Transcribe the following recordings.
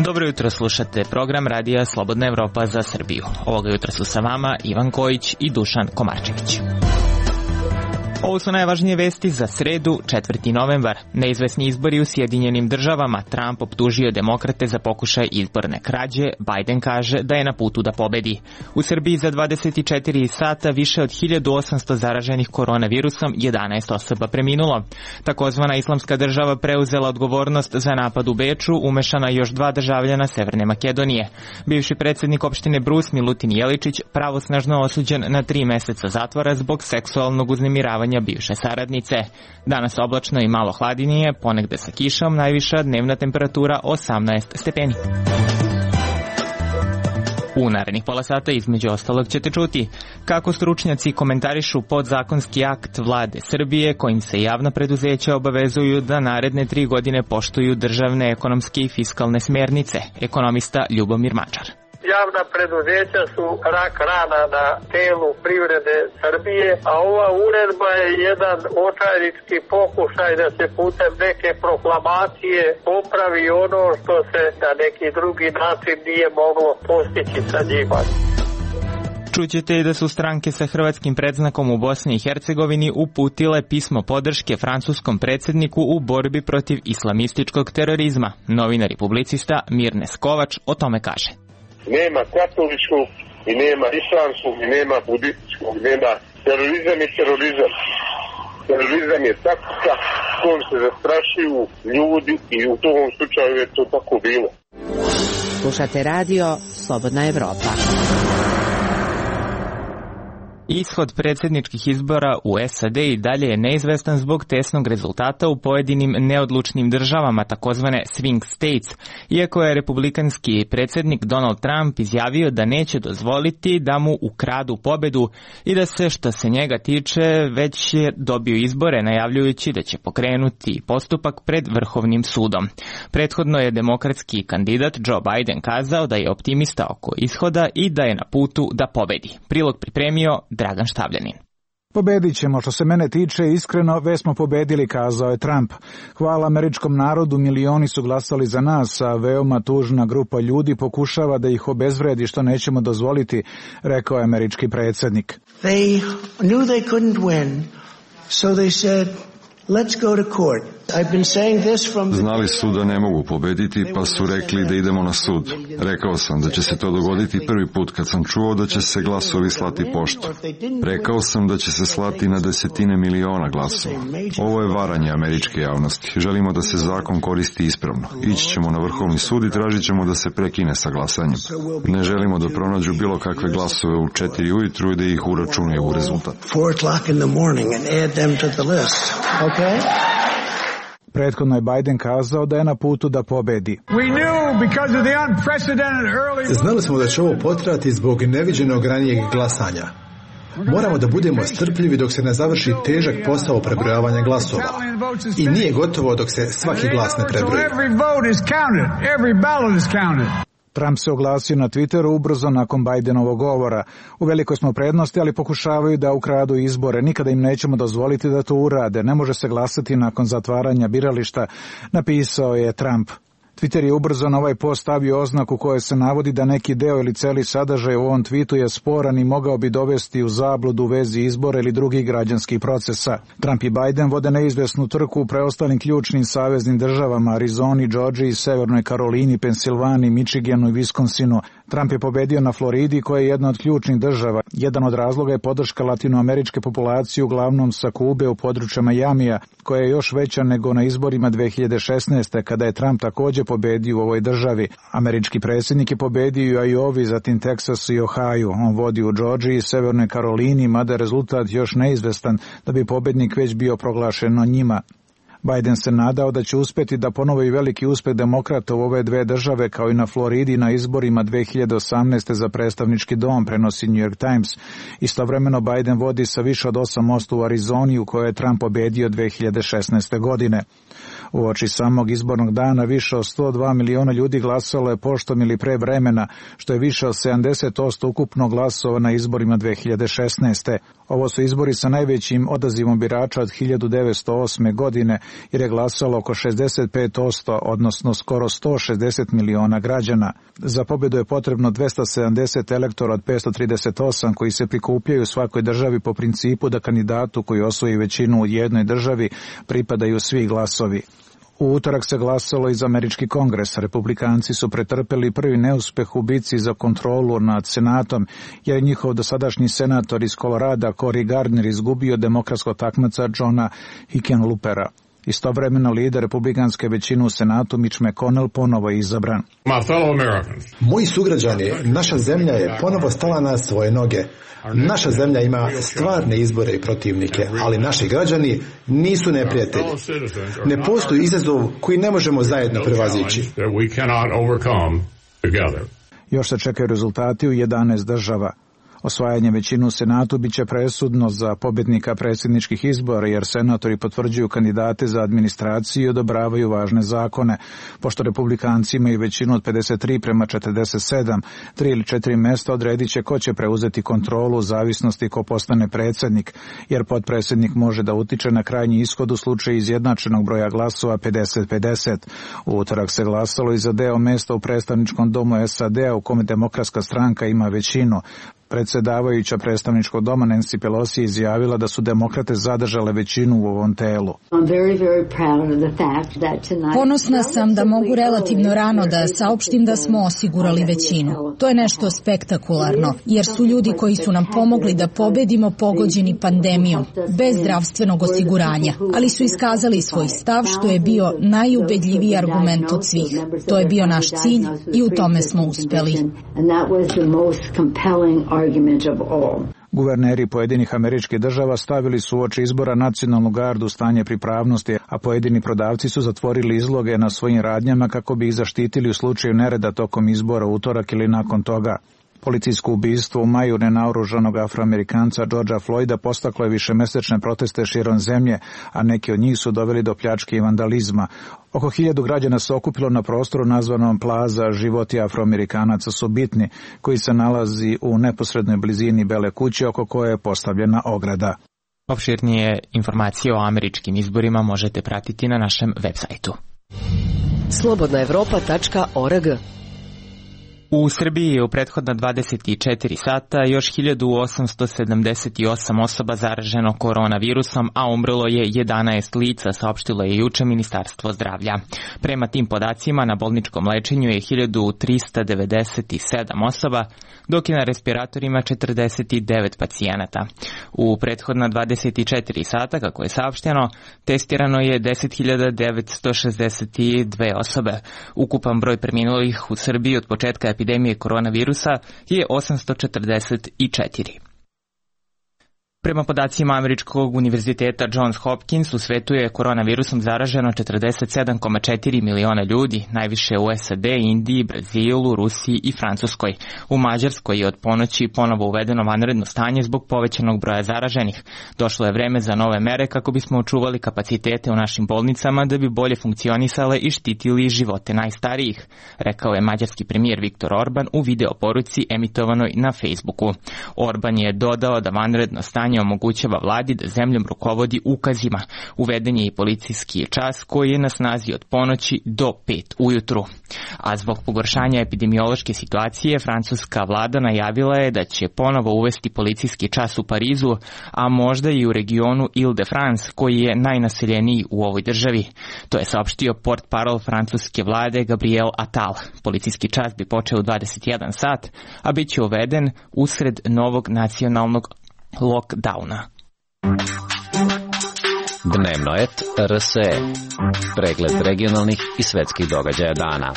Dobro jutro, slušate program Radija Slobodna Evropa za Srbiju. Ovoga jutra su sa vama Ivan Kojić i Dušan Komarčević. Ovo su najvažnije vesti za sredu, 4. novembar. Neizvesni izbori u Sjedinjenim državama. Trump optužio demokrate za pokušaj izborne krađe. Biden kaže da je na putu da pobedi. U Srbiji za 24 sata više od 1800 zaraženih koronavirusom, 11 osoba preminulo. Takozvana Islamska država preuzela odgovornost za napad u Beču, umešana još 2 državljana Severne Makedonije. Bivši predsjednik opštine Brus, Milutin Jeličić, pravosnažno osuđen na 3 meseca zatvora zbog seksualnog uznemiravanja bivše saradnice. Danas oblačno i malo hladnije, ponegde sa kišom, najviša dnevna temperatura 18 stepeni. U narednih pola sata između ostalog ćete čuti kako stručnjaci komentarišu podzakonski akt vlade Srbije kojim se javna preduzeća obavezuju da naredne 3 godine poštuju državne ekonomske i fiskalne smernice. Ekonomista Ljubomir Mačar. Javna preduzeća su rak rana na telu privrede Srbije, a ova uredba je jedan očajnički pokušaj da se putem neke proklamacije popravi ono što se na neki drugi način nije moglo postići sa njima. Čućete i da su stranke sa hrvatskim predznakom u Bosni i Hercegovini uputile pismo podrške francuskom predsjedniku u borbi protiv islamističkog terorizma. Novinar i publicista Mirne Skovač o tome kaže. Nema katoličkog i nema islamskog i nema budističkog, nema terorizam i terorizam. Terorizam je taktika kojom se zastrašuju ljudi i u tom slučaju je to tako bilo. Slušate radio Slobodna Evropa. Ishod predsjedničkih izbora u SAD i dalje je neizvestan zbog tesnog rezultata u pojedinim neodlučnim državama, takozvane swing states, iako je republikanski predsjednik Donald Trump izjavio da neće dozvoliti da mu ukradu pobedu i da se, što se njega tiče, već je dobio izbore, najavljujući da će pokrenuti postupak pred Vrhovnim sudom. Prethodno je demokratski kandidat Joe Biden kazao da je optimista oko ishoda i da je na putu da pobedi. Prilog pripremio Dragan Štavljanin. Pobedit ćemo, što se mene tiče, iskreno, već smo pobedili, kazao je Trump. Hvala američkom narodu, milioni su glasali za nas, a veoma tužna grupa ljudi pokušava da ih obezvredi, što nećemo dozvoliti, rekao je američki predsjednik. They knew they couldn't win, so they said, let's go to court. Znali su da ne mogu pobediti, pa su rekli da idemo na sud. Rekao sam da će se to dogoditi prvi put kad sam čuo da će se glasovi slati poštom. Rekao sam da će se slati na desetine miliona glasova. Ovo je varanje američke javnosti. Želimo da se zakon koristi ispravno. Ići ćemo na Vrhovni sud i tražit ćemo da se prekine sa glasanjem. Ne želimo da pronađu bilo kakve glasove u 4 ujutru i da ih uračunaju u rezultat. 4 o'clock in the morning and add them to the list. Okay? Prethodno je Biden kazao da je na putu da pobedi. Znali smo da će ovo potrajati zbog neviđenog ranijeg glasanja. Moramo da budemo strpljivi dok se ne završi težak posao prebrojavanja glasova. I nije gotovo dok se svaki glas ne prebroji. Trump se oglasio na Twitteru ubrzo nakon Bidenovog govora. U velikoj smo prednosti, ali pokušavaju da ukradu izbore. Nikada im nećemo dozvoliti da to urade. Ne može se glasati nakon zatvaranja birališta, napisao je Trump. Twitter je ubrzo na ovaj post stavio oznaku koje se navodi da neki deo ili celi sadržaj u ovom tweetu je sporan i mogao bi dovesti u zabludu u vezi izbora ili drugih građanskih procesa. Trump i Biden vode neizvesnu trku u preostalim ključnim saveznim državama, Arizoni, Georgiji, Severnoj Karolini, Pensilvaniji, Michiganu i Wisconsinu. Trump je pobedio na Floridi, koja je jedna od ključnih država. Jedan od razloga je podrška latinoameričke populacije, uglavnom sa Kube u području Majamija, koja je još veća nego na izborima 2016. kada je Trump također pobedio u ovoj državi. Američki predsjednik je pobedio i u Iowi, zatim Teksasu i Ohio. On vodi u Georgiji i Severnoj Karolini, mada je rezultat još neizvestan da bi pobednik već bio proglašen od njima. Biden se nadao da će uspjeti da ponovi veliki uspjeh demokrata u ove dve države, kao i na Floridi na izborima 2018. za predstavnički dom, prenosi New York Times. Istovremeno Biden vodi sa više od 8% u Arizoni, u kojoj je Trump pobedio 2016. godine. Uoči samog izbornog dana više od 102 miliona ljudi glasalo je poštom ili pre vremena, što je više od 70% ukupno glasova na izborima 2016. Ovo su izbori sa najvećim odazivom birača od 1908. godine, jer je glasalo oko 65%, odnosno skoro 160 miliona građana. Za pobjedu je potrebno 270 elektora od 538 koji se prikupljaju u svakoj državi po principu da kandidatu koji osvoji većinu u jednoj državi pripadaju svi glasovi. U utorak se glasalo i za američki kongres. Republikanci su pretrpeli prvi neuspeh u bici za kontrolu nad senatom, jer je njihov dosadašnji senator iz Kolorada Cory Gardner izgubio demokratskog takmaca Johna Hickenloopera. Istovremeno lider republikanske većine u senatu Mitch McConnell ponovo je izabran. Moji sugrađani, naša zemlja je ponovo stala na svoje noge. Naša zemlja ima stvarne izbore i protivnike, ali naši građani nisu neprijatelji. Ne postoji izazov koji ne možemo zajedno prevazići. Još se čekaju rezultati u 11 država. Osvajanje većine u senatu biće presudno za pobjednika predsjedničkih izbora, jer senatori potvrđuju kandidate za administraciju i odobravaju važne zakone. Pošto republikanci imaju većinu od 53:47, 3 ili 4 mesta odredit će ko će preuzeti kontrolu u zavisnosti ko postane predsjednik, jer potpredsjednik može da utiče na krajnji ishod u slučaju izjednačenog broja glasova 50-50. U utorak se glasalo i za deo mesta u predstavničkom domu SAD-a u kome demokratska stranka ima većinu. Predsjedavajuća predstavničkog doma Nancy Pelosi izjavila da su demokrate zadržale većinu u ovom telu. Ponosna sam da mogu relativno rano da saopštim da smo osigurali većinu. To je nešto spektakularno, jer su ljudi koji su nam pomogli da pobedimo pogođeni pandemijom, bez zdravstvenog osiguranja, ali su iskazali svoj stav, što je bio najubedljiviji argument od svih. To je bio naš cilj i u tome smo uspeli. Guverneri pojedinih američkih država stavili su uoči izbora nacionalnu gardu u stanje pripravnosti, a pojedini prodavci su zatvorili izloge na svojim radnjama kako bi ih zaštitili u slučaju nereda tokom izbora u utorak ili nakon toga. Policijsko ubistvo u maju nenaoružanog Afroamerikanca Georgea Floyda postaklo je višemesečne proteste širom zemlje, a neki od njih su doveli do pljačke i vandalizma. Oko 1000 građana se okupilo na prostoru nazvanom Plaza Životi Afroamerikanaca su bitni, koji se nalazi u neposrednoj blizini Bele kuće oko koje je postavljena ograda. Opširnije informacije o američkim izborima možete pratiti na našem web sajtu. slobodnaevropa.org. U Srbiji je u prethodna 24 sata još 1878 osoba zaraženo koronavirusom, a umrlo je 11 lica, saopštilo je juče Ministarstvo zdravlja. Prema tim podacima na bolničkom lečenju je 1397 osoba, dok je na respiratorima 49 pacijenata. U prethodna 24 sata, kako je saopšteno, testirano je 10.962 osobe. Ukupan broj preminulih u Srbiji od početka epidemije koronavirusa je 844. Prema podacima Američkog univerziteta Johns Hopkins, u svetu je koronavirusom zaraženo 47,4 miliona ljudi, najviše u SAD, Indiji, Brazilu, Rusiji i Francuskoj. U Mađarskoj je od ponoći ponovo uvedeno vanredno stanje zbog povećanog broja zaraženih. Došlo je vreme za nove mere kako bismo očuvali kapacitete u našim bolnicama da bi bolje funkcionisale i štitili živote najstarijih, rekao je mađarski premijer Viktor Orban u video poruci emitovanoj na Facebooku. Orban je dodao da vanredno stanje omogućava vladi da zemljom rukovodi ukazima. Uveden je i policijski čas koji je na snazi od ponoći do 5 ujutru. A zbog pogoršanja epidemiološke situacije, francuska vlada najavila je da će ponovo uvesti policijski čas u Parizu, a možda i u regionu Ile-de-France, koji je najnaseljeniji u ovoj državi. To je saopštio portparol francuske vlade Gabriel Attal. Policijski čas bi počeo u 21 sat, a bit će uveden usred novog nacionalnog lockdowna. Dnevno et RSE. Pregled regionalnih i svetskih događaja dana.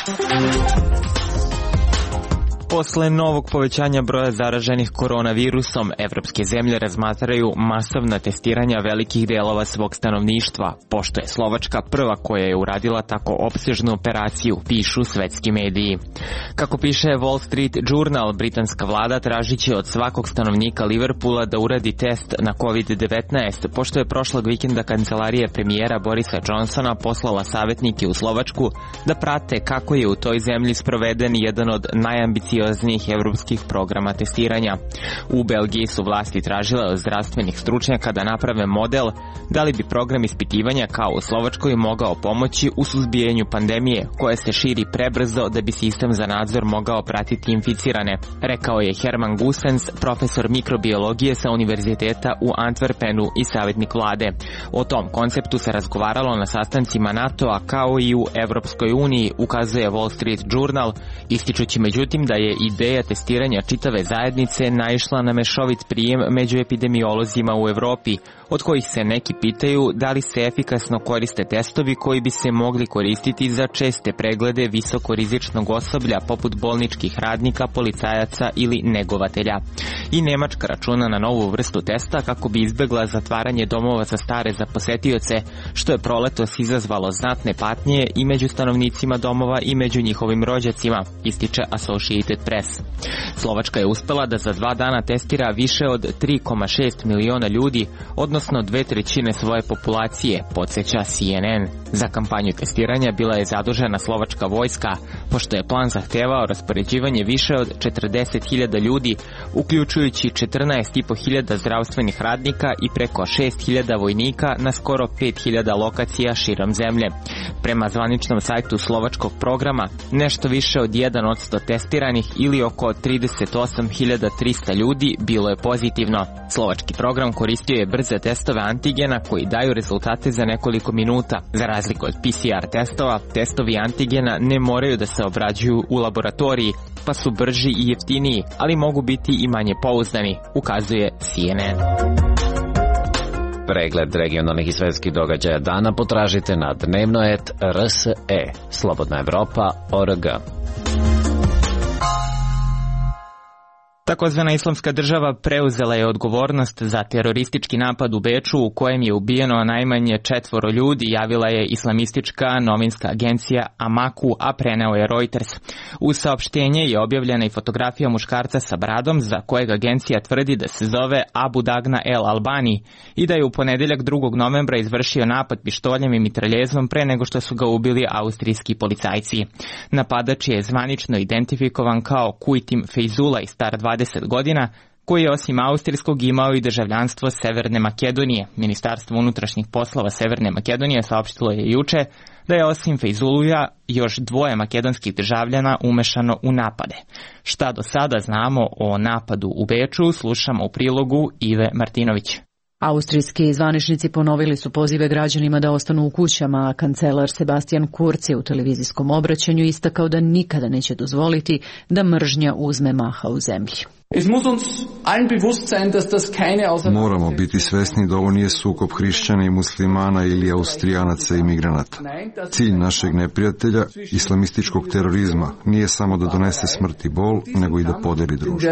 Posle novog povećanja broja zaraženih koronavirusom, evropske zemlje razmatraju masovna testiranja velikih delova svog stanovništva, pošto je Slovačka prva koja je uradila tako opsežnu operaciju, pišu svetski mediji. Kako piše Wall Street Journal, britanska vlada tražiće od svakog stanovnika Liverpoola da uradi test na COVID-19, pošto je prošlog vikenda kancelarija premijera Borisa Johnsona poslala savjetnike u Slovačku da prate kako je u toj zemlji sproveden jedan od najambicioznijih evropskih programa testiranja. U Belgiji su vlasti tražile od zdravstvenih stručnjaka da naprave model da li bi program ispitivanja kao u Slovačkoj mogao pomoći u suzbijanju pandemije koja se širi prebrzo da bi sistem za nadzor mogao pratiti inficirane, rekao je Herman Goossens, profesor mikrobiologije sa univerziteta u Antwerpenu i savjetnik vlade. O tom konceptu se razgovaralo na sastancima NATO-a kao i u Evropskoj uniji, ukazuje Wall Street Journal, ističući međutim da je ideja testiranja čitave zajednice naišla na mešovit prijem među epidemiolozima u Evropi, od kojih se neki pitaju da li se efikasno koriste testovi koji bi se mogli koristiti za česte preglede visokorizičnog osoblja poput bolničkih radnika, policajaca ili negovatelja. I Nemačka računa na novu vrstu testa kako bi izbegla zatvaranje domova za stare za posetioce, što je proletos izazvalo znatne patnje i među stanovnicima domova i među njihovim rođacima, ističe Associated Press. Slovačka je uspela da za 2 dana testira više od 3,6 miliona ljudi, odnosno 2/3 svoje populacije, podsjeća CNN. Za kampanju testiranja bila je zadužena slovačka vojska, pošto je plan zahtevao raspoređivanje više od 40.000 ljudi, uključujući 14.500 zdravstvenih radnika i preko 6.000 vojnika na skoro 5.000 lokacija širom zemlje. Prema zvaničnom sajtu slovačkog programa, nešto više od 1% testiranih ili oko 38.300 ljudi bilo je pozitivno. Slovački program koristio je brze testove antigena koji daju rezultate za nekoliko minuta. Za razliku od PCR testova, testovi antigena ne moraju da se obrađuju u laboratoriji, pa su brži i jeftiniji, ali mogu biti i manje pouzdani, ukazuje CNN. Pregled regionalnih i svetskih događaja dana potražite na dnevnoet.rse, slobodnaevropa.org. Takozvana Islamska država preuzela je odgovornost za teroristički napad u Beču u kojem je ubijeno najmanje 4 ljudi, javila je islamistička novinska agencija Amaku, a preneo je Reuters. U saopštenje je objavljena i fotografija muškarca sa bradom za kojeg agencija tvrdi da se zove Abu Dagna El Albani i da je u ponedeljak 2. novembra izvršio napad pištoljem i mitraljezom pre nego što su ga ubili austrijski policajci. Napadač je zvanično identifikovan kao Kujtim Fejzula i star 20 godina, koji je osim austrijskog imao i državljanstvo Severne Makedonije. Ministarstvo unutrašnjih poslova Severne Makedonije saopštilo je juče da je osim Fejzuluja još 2 makedonskih državljana umešano u napade. Šta do sada znamo o napadu u Beču, slušamo u prilogu Ive Martinović. Austrijski zvaničnici ponovili su pozive građanima da ostanu u kućama, a kancelar Sebastian Kurz je u televizijskom obraćanju istakao da nikada neće dozvoliti da mržnja uzme maha u zemlji. Moramo biti svesni da ovo nije sukob hrišćana i muslimana ili austrijanaca i migranata. Cilj našeg neprijatelja, islamističkog terorizma, nije samo da donese smrt i bol, nego i da podeli društvo.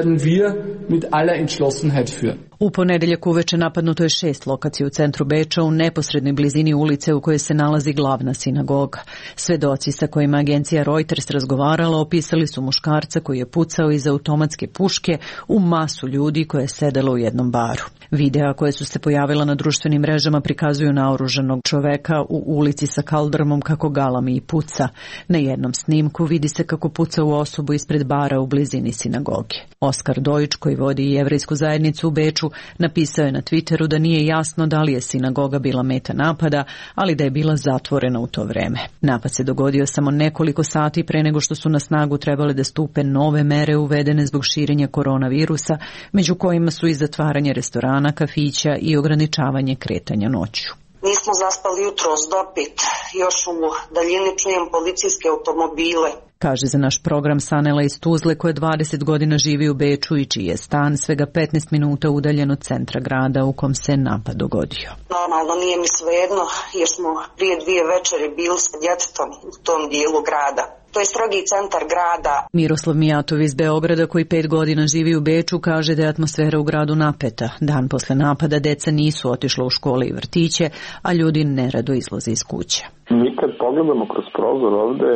U ponedeljak uveče napadnuto je 6 lokacija u centru Beča u neposrednoj blizini ulice u kojoj se nalazi glavna sinagoga. Svedoci sa kojima agencija Reuters razgovarala opisali su muškarca koji je pucao iz automatske puške u masu ljudi koje je sedelo u jednom baru. Videa koje su se pojavila na društvenim mrežama prikazuju naoružanog čoveka u ulici sa kaldrmom kako galami i puca. Na jednom snimku vidi se kako puca u osobu ispred bara u blizini sinagoge. Oskar Dojić, koji vodi jevrejsku zajednicu u Beču, napisao je na Twitteru da nije jasno da li je sinagoga bila meta napada, ali da je bila zatvorena u to vreme. Napad se dogodio samo nekoliko sati pre nego što su na snagu trebale da stupe nove mere uvedene zbog širenja koronavirusa, među kojima su i zatvaranje restorana, kafića i ograničavanje kretanja noću. Nismo zaspali jutros dopit, još u daljini čujem policijske automobile. Kaže za naš program Sanela iz Tuzle, koja 20 godina živi u Beču i čiji je stan svega 15 minuta udaljen od centra grada u kom se napad dogodio. Normalno nije mi svejedno jer smo prije 2 večeri bili sa djetetom u tom dijelu grada. to je strogi centar grada. Miroslav Mijatov iz Beograda, koji 5 godina živi u Beču, kaže da je atmosfera u gradu napeta. Dan posle napada deca nisu otišla u škole i vrtiće, a ljudi nerado izlaze iz kuće. Mi kad pogledamo kroz prozor ovde,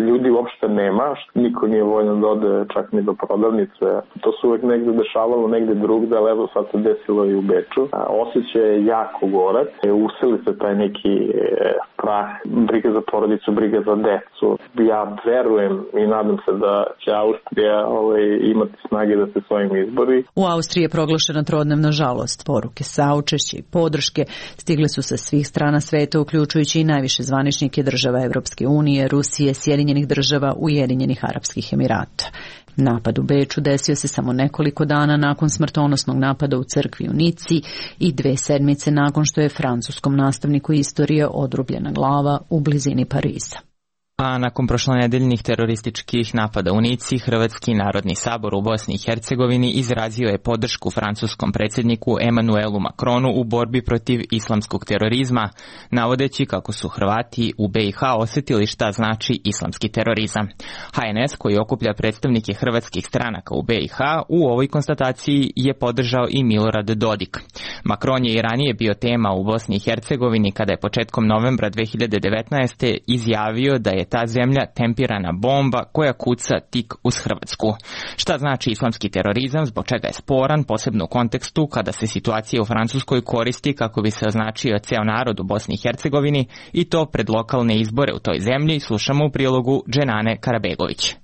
ljudi uopšte nema, niko nije voljan da ode čak ni do prodavnice. To se uvek negde dešavalo, negde drugde, ali evo sad se desilo i u Beču. Osjećaj je jako gorak, usili se taj neki strah, briga za porodicu, briga za decu. Ja verujem i nadam se da će Austrija imati snage da se svojim izbori. U Austriji je proglašena trodnevna žalost. Poruke saučešća i podrške stigle su sa svih strana sveta, uključujući i najviše zvaničnike država Evropske unije, Rusije, Sjedinjenih država, Ujedinjenih Arapskih Emirata. Napad u Beču desio se samo nekoliko dana nakon smrtonosnog napada u crkvi u Nici i 2 sedmice nakon što je francuskom nastavniku istorije odrubljena glava u blizini Pariza. A nakon prošlonedeljnih terorističkih napada u Nici, Hrvatski narodni sabor u Bosni i Hercegovini izrazio je podršku francuskom predsjedniku Emmanuelu Macronu u borbi protiv islamskog terorizma, navodeći kako su Hrvati u BiH osjetili šta znači islamski terorizam. HNS, koji okuplja predstavnike hrvatskih stranaka u BiH, u ovoj konstataciji je podržao i Milorad Dodik. Macron je i ranije bio tema u Bosni i Hercegovini kada je početkom novembra 2019. izjavio da je ta zemlja tempirana bomba koja kuca tik uz Hrvatsku. Šta znači islamski terorizam, zbog čega je sporan, posebno u kontekstu kada se situacija u Francuskoj koristi kako bi se označio ceo narod u Bosni i Hercegovini, i to pred lokalne izbore u toj zemlji, slušamo u prilogu Dženane Karabegović.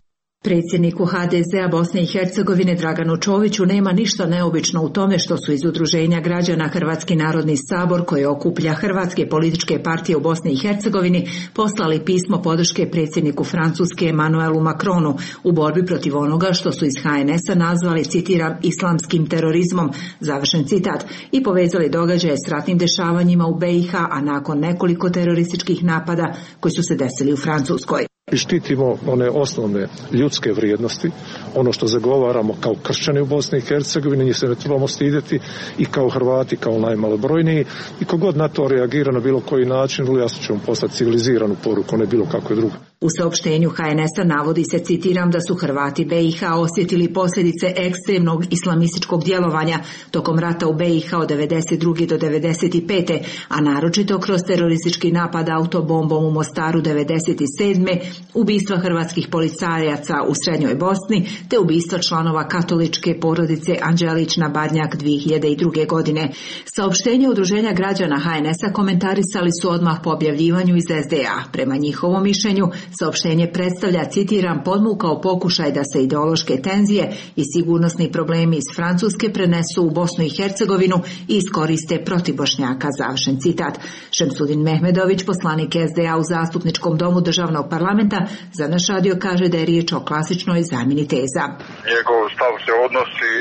Predsjedniku HDZ-a Bosne i Hercegovine Draganu Čoviću nema ništa neobično u tome što su iz Udruženja građana Hrvatski narodni sabor, koji okuplja hrvatske političke partije u Bosni i Hercegovini, poslali pismo podrške predsjedniku Francuske Emmanuelu Macronu u borbi protiv onoga što su iz HNS-a nazvali, citiram, islamskim terorizmom, završen citat, i povezali događaje s ratnim dešavanjima u BiH, a nakon nekoliko terorističkih napada koji su se desili u Francuskoj. I štitimo one osnovne ljudske vrijednosti, ono što zagovaramo kao kršćani u Bosni i Hercegovini, njih se ne trebamo stidjeti, i kao Hrvati, kao najmalobrojniji, i kogod na to reagira na bilo koji način, vrlo jasno ćemo poslati civiliziranu poruku, ne bilo kakve druge. U saopštenju HNS-a navodi se, citiram, da su Hrvati BiH osjetili posljedice ekstremnog islamističkog djelovanja tokom rata u BiH od 92. do 95. a naročito kroz teroristički napad autobombom u Mostaru 97. ubistva hrvatskih policajaca u Srednjoj Bosni te ubistva članova katoličke porodice Anđelić na Badnjak 2002. godine. Saopštenje Udruženja građana HNS-a komentarisali su odmah po objavljivanju iz SDA. Prema njihovom mišljenju, saopštenje predstavlja, citiram, podmukao pokušaj da se ideološke tenzije i sigurnosni problemi iz Francuske prenesu u Bosnu i Hercegovinu i iskoriste protiv Bošnjaka, završen citat. Šemsudin Mehmedović, poslanik SDA u Zastupničkom domu Državnog parlamenta, za naš radio kaže da je riječ o klasičnoj zamjeni teza. Njegov stav se odnosi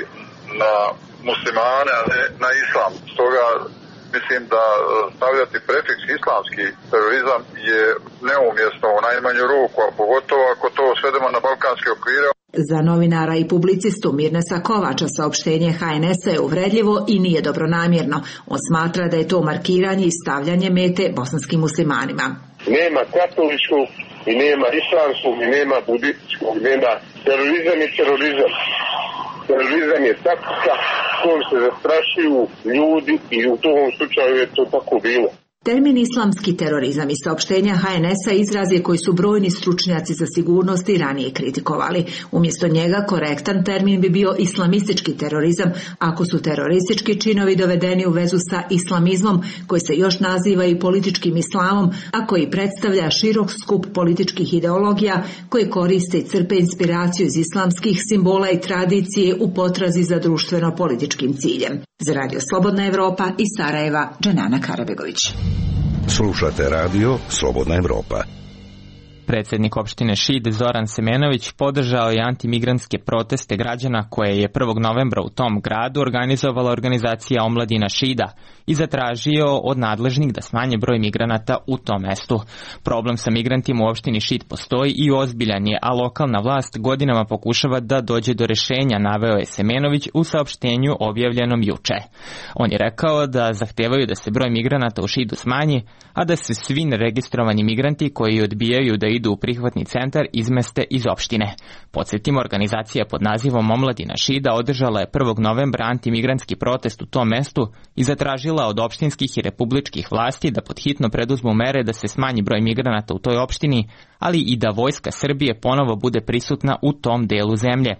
na muslimane, a ne na islam. Stoga mislim da stavljati prefiks islamski terorizam je neumjesno u najmanju ruku, a pogotovo ako to svedemo na balkanske okvire. Za novinara i publicistu Mirnesa Kovača saopštenje HNS-a je uvredljivo i nije dobronamjerno. On smatra da je to markiranje i stavljanje mete bosanskim muslimanima. Nema katoličkog i nema islamskog i nema budističkog, nema terorizam i terorizam. Terorizam je taktika kojom se zastrašuju ljudi i u tom slučaju je to tako bilo. Termin islamski terorizam i saopštenja HNS-a izraz je koji su brojni stručnjaci za sigurnost i ranije kritikovali. Umjesto njega korektan termin bi bio islamistički terorizam, ako su teroristički činovi dovedeni u vezu sa islamizmom, koji se još naziva i političkim islamom, a koji predstavlja širok skup političkih ideologija koje koriste i crpe inspiraciju iz islamskih simbola i tradicije u potrazi za društveno-političkim ciljem. Za Radio Slobodna Evropa iz Sarajeva, Dženana Karabegović. Slušate radio Slobodna Evropa. Predsjednik opštine Šid Zoran Semenović podržao je antimigrantske proteste građana koje je 1. novembra u tom gradu organizovala organizacija Omladina Šida i zatražio od nadležnih da smanje broj migranata u tom mestu. Problem sa migrantima u opštini Šid postoji i ozbiljan je, a lokalna vlast godinama pokušava da dođe do rešenja, naveo je Semenović u saopštenju objavljenom juče. On je rekao da zahtevaju da se broj migranata u Šidu smanji, a da se svi neregistrovani migranti koji odbijaju da idu idu u prihvatni centar izmeste iz opštine. Podsjetimo, organizacija pod nazivom Omladina Šida održala je 1. novembra antimigrantski protest u tom mestu i zatražila od opštinskih i republičkih vlasti da podhitno preduzmu mere da se smanji broj migranata u toj opštini, ali i da Vojska Srbije ponovo bude prisutna u tom delu zemlje.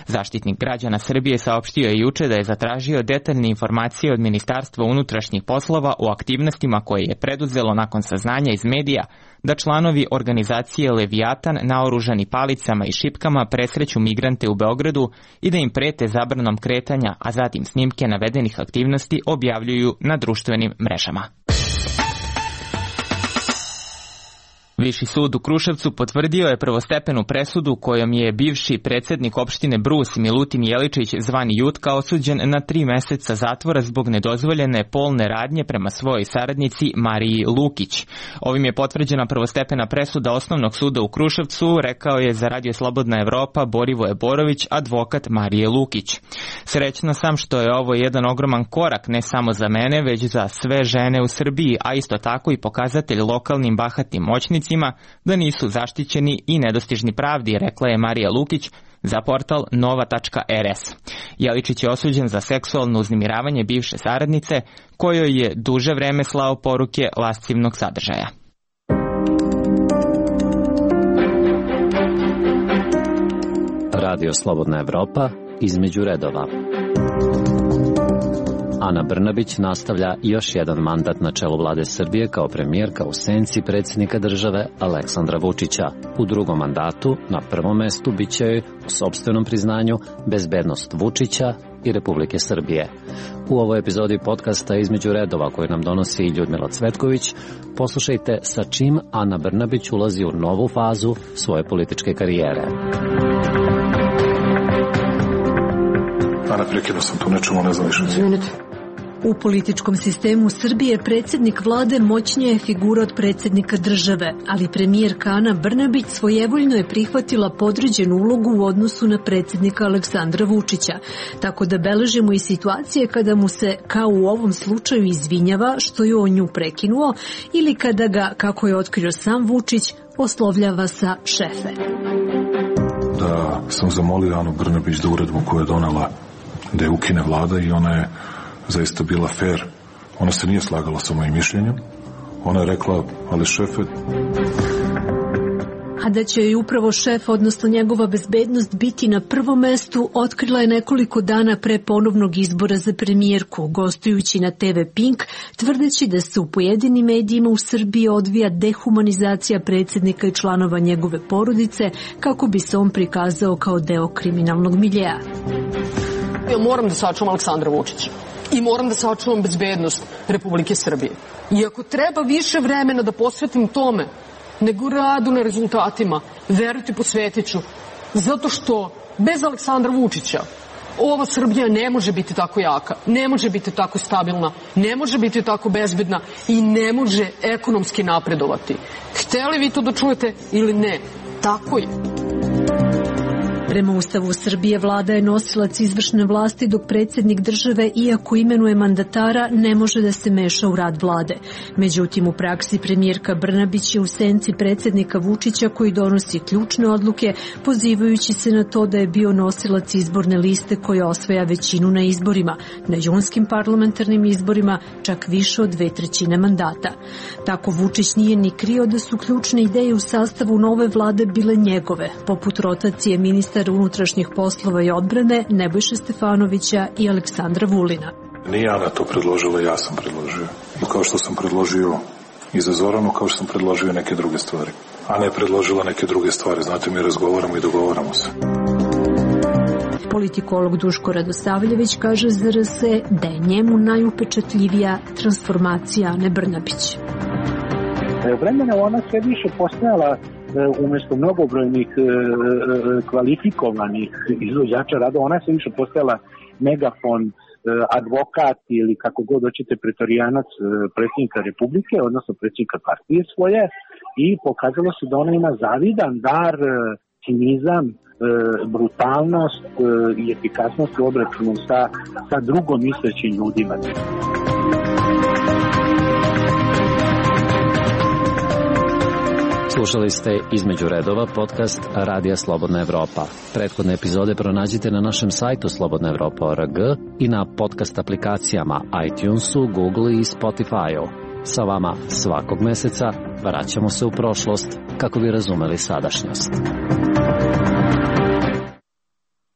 Zaštitnik građana Srbije saopštio je juče da je zatražio detaljne informacije od Ministarstva unutrašnjih poslova o aktivnostima koje je preduzelo nakon saznanja iz medija da članovi organizacije Leviatan naoružani palicama i šipkama presreću migrante u Beogradu i da im prete zabranom kretanja, a zatim snimke navedenih aktivnosti objavljuju na društvenim mrežama. Viši sud u Kruševcu potvrdio je prvostepenu presudu kojom je bivši predsednik opštine Brus Milutin Jeličić zvani Jutka osuđen na 3 meseca zatvora zbog nedozvoljene polne radnje prema svojoj saradnici Mariji Lukić. Ovim je potvrđena prvostepena presuda Osnovnog suda u Kruševcu, rekao je za Radio Slobodna Evropa Borivoje Borović, advokat Marije Lukić. Srećna sam što je ovo jedan ogroman korak ne samo za mene, već za sve žene u Srbiji, a isto tako i pokazatelj lokalnim bahatim moćnicima da nisu zaštićeni i nedostižni pravdi, rekla je Marija Lukić za portal nova.rs. Jeličić je osuđen za seksualno uznemiravanje bivše saradnice, kojoj je duže vreme slao poruke lascivnog sadržaja. Radio Slobodna Evropa, između redova. Ana Brnabić nastavlja još jedan mandat na čelu vlade Srbije kao premijerka u senci predsjednika države Aleksandra Vučića. U drugom mandatu na prvom mestu bit će joj, u sopstvenom priznanju, bezbednost Vučića i Republike Srbije. U ovoj epizodi podcasta Između redova koju nam donosi Ljudmila Cvetković, poslušajte sa čim Ana Brnabić ulazi u novu fazu svoje političke karijere. Ana, prekinuo sam tu nečemu, ne znam više. Izvinite. U političkom sistemu Srbije predsjednik vlade moćnija je figura od predsjednika države, ali premijerka Ana Brnabić svojevoljno je prihvatila podređenu ulogu u odnosu na predsjednika Aleksandra Vučića, tako da beležimo i situacije kada mu se, kao u ovom slučaju, izvinjava što je on nju prekinuo ili kada ga, kako je otkrio sam Vučić, oslovljava sa šefe. Da sam zamolio Anu Brnabić da uredbu koju je donela da je ukine vlada i ona je zaista bila fair. Ona se nije slagala sa mojim mišljenjem. Ona je rekla, ali šefe... A da će joj upravo šef, odnosno njegova bezbednost, biti na prvom mestu, otkrila je nekoliko dana pre ponovnog izbora za premijerku, gostujući na TV Pink, tvrdeći da se u pojedinim medijima u Srbiji odvija dehumanizacija predsjednika i članova njegove porodice, kako bi se on prikazao kao deo kriminalnog miljea. Ja moram da sačuvam Aleksandra Vučića i moram da sačuvam bezbednost Republike Srbije. I ako treba više vremena da posvetim tome nego radu na rezultatima, verujte, posvetit ću. Zato što bez Aleksandra Vučića ova Srbija ne može biti tako jaka, ne može biti tako stabilna, ne može biti tako bezbedna i ne može ekonomski napredovati. Hteli vi to da čujete ili ne? Tako je. Prema Ustavu Srbije, vlada je nosilac izvršne vlasti, dok predsjednik države, iako imenuje mandatara, ne može da se meša u rad vlade. Međutim, u praksi premijerka Brnabić je u senci predsjednika Vučića, koji donosi ključne odluke, pozivajući se na to da je bio nosilac izborne liste koja osvaja većinu na izborima, na junskim parlamentarnim izborima čak više od 2/3 mandata. Tako Vučić nije ni krio da su ključne ideje u sastavu nove vlade bile njegove, poput rotacije ministra unutrašnjih poslova i odbrane Nebojše Stefanovića i Aleksandra Vulina. Nije Ana to predložila, ja sam predložio. I kao što sam predložio i za Zoranu, kao što sam predložio neke druge stvari. Ana je predložila neke druge stvari, znate, mi razgovaramo i dogovaramo se. Politikolog Duško Radosavljević kaže za RS da je njemu najupečatljivija transformacija Ane Brnabić. Vremena ona sve više postajala umjesto mnogobrojnih kvalifikovanih izvođača rada, ona se više postajala megafon, advokat ili kako god hoćete pretorijanac predsjednika Republike, odnosno predsjednika partije svoje, i pokazalo se da ona ima zavidan dar, cinizam, brutalnost i efikasnost u obračunu sa drugom mislećim ljudima. Slušali ste Između redova podcast Radija Slobodna Evropa. Prethodne epizode pronađite na našem sajtu slobodnaevropa.org i na podcast aplikacijama iTunesu, Google i Spotify-u. Sa vama svakog meseca vraćamo se u prošlost kako bi razumeli sadašnjost.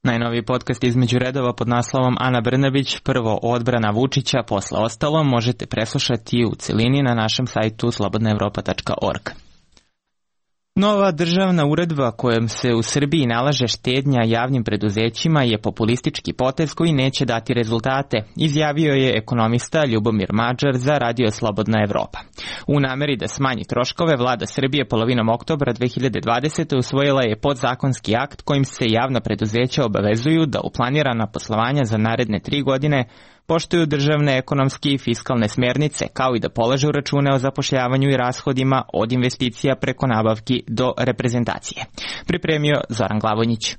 Najnoviji podcast Između redova pod naslovom Ana Brnabić, prvo odbrana Vučića, posle ostalo, možete preslušati u celini na našem sajtu slobodnaevropa.org. Nova državna uredba kojom se u Srbiji nalaže štednja javnim preduzećima je populistički potez koji neće dati rezultate, izjavio je ekonomista Ljubomir Mađar za Radio Slobodna Evropa. U nameri da smanji troškove, vlada Srbije polovinom oktobra 2020. usvojila je podzakonski akt kojim se javna preduzeća obavezuju da u planirana poslovanja za naredne 3 godine poštuju državne ekonomske i fiskalne smernice, kao i da polažu račune o zapošljavanju i rashodima od investicija preko nabavki do reprezentacije. Pripremio Zoran Glavonjić.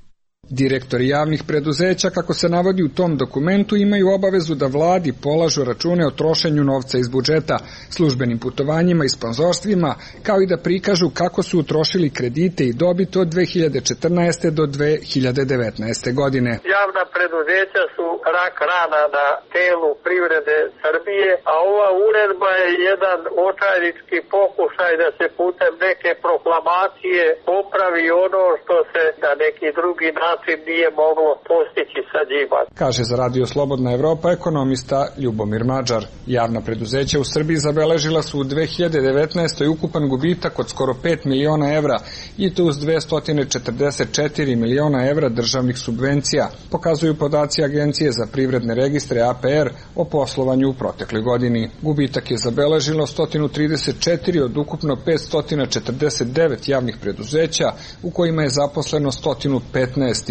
Direktori javnih preduzeća, kako se navodi u tom dokumentu, imaju obavezu da vladi polažu račune o trošenju novca iz budžeta, službenim putovanjima i sponzorstvima, kao i da prikažu kako su utrošili kredite i dobit od 2014. do 2019. godine. Javna preduzeća su rak rana na telu privrede Srbije, a ova uredba je jedan očajnički pokušaj da se putem neke proklamacije popravi ono što se na neki drugi način nije moglo postići sa njima. Kaže za Radio Slobodna Evropa ekonomista Ljubomir Mađar. Javna preduzeća u Srbiji zabeležila su u 2019. ukupan gubitak od skoro 5 miliona evra i to uz 244 miliona evra državnih subvencija, pokazuju podaci Agencije za privredne registre APR o poslovanju u protekloj godini. Gubitak je zabeležilo 134 od ukupno 549 javnih preduzeća u kojima je zaposleno 115.500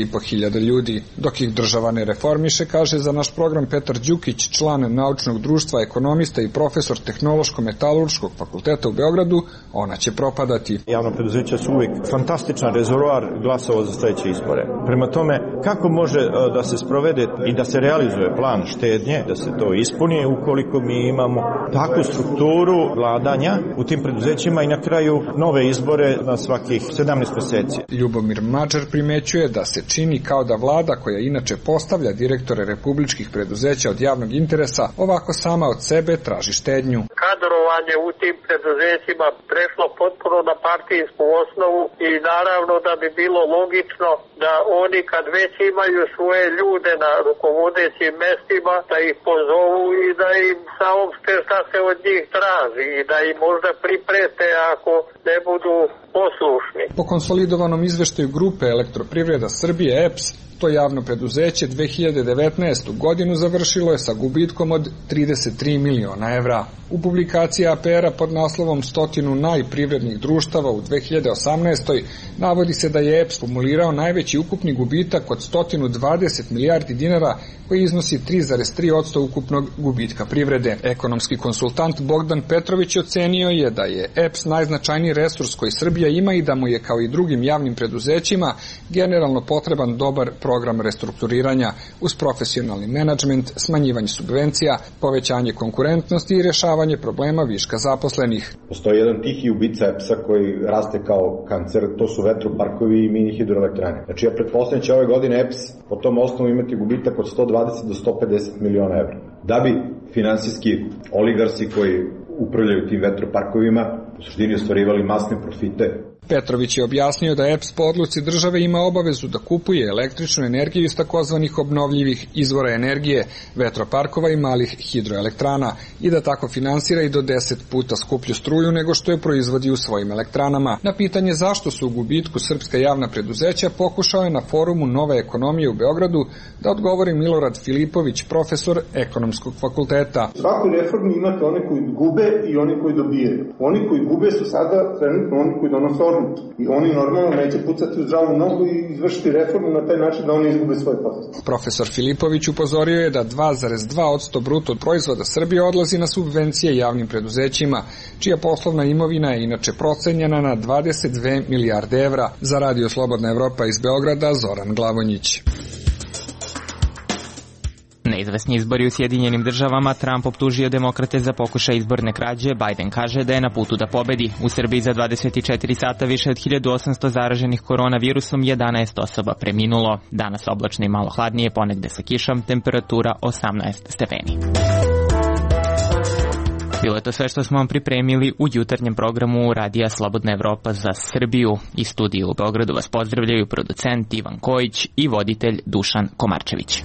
ljudi. Dok ih država ne reformiše, kaže za naš program Petar Đukić, član naučnog društva, ekonomista i profesor Tehnološko-metalurškog fakulteta u Beogradu, ona će propadati. Javna preduzeća su uvijek fantastičan rezervoar glasova za sledeće izbore. Prema tome, kako može da se sprovede i da se realizuje plan štednje, da se to ispuni ukoliko mi imamo takvu strukturu vladanja u tim preduzećima i na kraju nove izbore na svakih 17 meseci. Ljubomir Mađar primećuje da se čini kao da vlada, koja inače postavlja direktore republičkih preduzeća od javnog interesa, ovako sama od sebe traži štednju. Kadrovanje u tim preduzećima prešlo potpuno na partijsku osnovu i naravno da bi bilo logično da oni kad već imaju svoje ljude na rukovodećim mestima, da ih pozovu i da im saopšte šta se od njih traži i da im možda priprete ako ne budu poslušni. Po konsolidovanom izveštaju grupe Elektroprivreda Srbije EPS, to javno preduzeće 2019. godinu završilo je sa gubitkom od 33 miliona evra. U publikaciji APR-a pod naslovom 100 najprivrednih društava u 2018. navodi se da je EPS kumulirao najveći ukupni gubitak od 120 milijardi dinara, koji iznosi 3,3% ukupnog gubitka privrede. Ekonomski konsultant Bogdan Petrović ocenio je da je EPS najznačajniji resurs koji Srbija ima i da mu je kao i drugim javnim preduzećima generalno potreban dobar program restrukturiranja uz profesionalni menadžment, smanjivanje subvencija, povećanje konkurentnosti i rešavanje problema viška zaposlenih. Postoji jedan tihi ubica EPS-a koji raste kao kancer, to su vetroparkovi i mini hidroelektrane. Znači ja pretpostavljam će ove godine EPS po tom osnovu imati gubitak od 120 do 150 miliona evra. Da bi finansijski oligarsi koji upravljaju tim vetroparkovima u suštini ostvarivali masne profite. Petrović je objasnio da EPS po odluci države ima obavezu da kupuje električnu energiju iz takozvanih obnovljivih izvora energije, vetroparkova i malih hidroelektrana i da tako finansira i do 10 puta skuplju struju nego što je proizvodi u svojim elektranama. Na pitanje zašto su u gubitku srpska javna preduzeća pokušao je na forumu Nove ekonomije u Beogradu da odgovori Milorad Filipović, profesor ekonomskog fakulteta. U svakoj reformi imate one koji gube i oni koji dobijaju. Oni koji gube su sada trenutno oni koji donose odluke. I oni normalno neće pucati u zdravu nogu i izvršiti reformu na taj način da oni izgube svoje pozicije. Profesor Filipović upozorio je da 2,2% bruto proizvoda Srbije odlazi na subvencije javnim preduzećima, čija poslovna imovina je inače procenjena na 22 milijarde evra. Za Radio Slobodna Evropa iz Beograda, Zoran Glavonjić. neizvesni izbori u Sjedinjenim državama, Trump optužio demokrate za pokušaj izborne krađe, Biden kaže da je na putu da pobedi. U Srbiji za 24 sata više od 1800 zaraženih koronavirusom, 11 osoba preminulo. Danas oblačno i malo hladnije, ponegde sa kišom, temperatura 18 stepeni. Bilo je to sve što smo vam pripremili u jutarnjem programu Radija Slobodna Evropa za Srbiju. Iz studija u Beogradu vas pozdravljaju producent Ivan Kojić i voditelj Dušan Komarčević.